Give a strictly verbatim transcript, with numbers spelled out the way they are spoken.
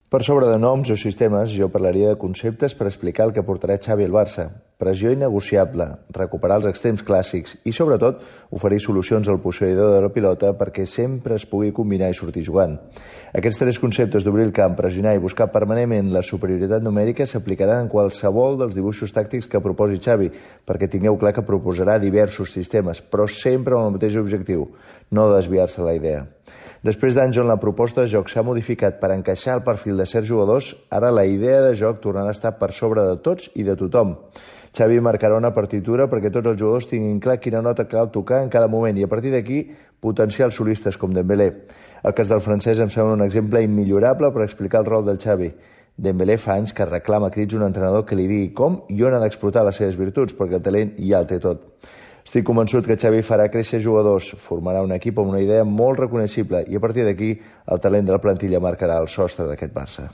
Per sobre de noms o sistemes, jo parlaria de conceptes per explicar el que portarà Xavi al Barça. Pressió innegociable, recuperar els extrems clàssics i, sobretot, oferir solucions al posseïdor de la pilota perquè sempre es pugui combinar i sortir jugant. Aquests tres conceptes d'obrir el camp, pressionar i buscar permanentment la superioritat numèrica s'aplicaran en qualsevol dels dibuixos tàctics que proposi Xavi, perquè tingueu clar que proposarà diversos sistemes, però sempre amb el mateix objectiu, no desviar-se la idea. Després d'anys on la proposta de joc s'ha modificat per encaixar el perfil de certs jugadors, ara la idea de joc tornarà a estar per sobre de tots i de tothom. Xavi marcarà una partitura perquè tots els jugadors tinguin clar quina nota cal tocar en cada moment i a partir d'aquí potenciar els solistes com Dembélé. El cas del francès em sembla un exemple immillorable per explicar el rol del Xavi. Dembélé fa anys que reclama a crits un entrenador que li digui com i on ha d'explotar les seves virtuts, perquè el talent ja el té tot. Estic convençut que Xavi farà créixer jugadors, formarà un equip amb una idea molt reconeixible i a partir d'aquí el talent de la plantilla marcarà el sostre d'aquest Barça.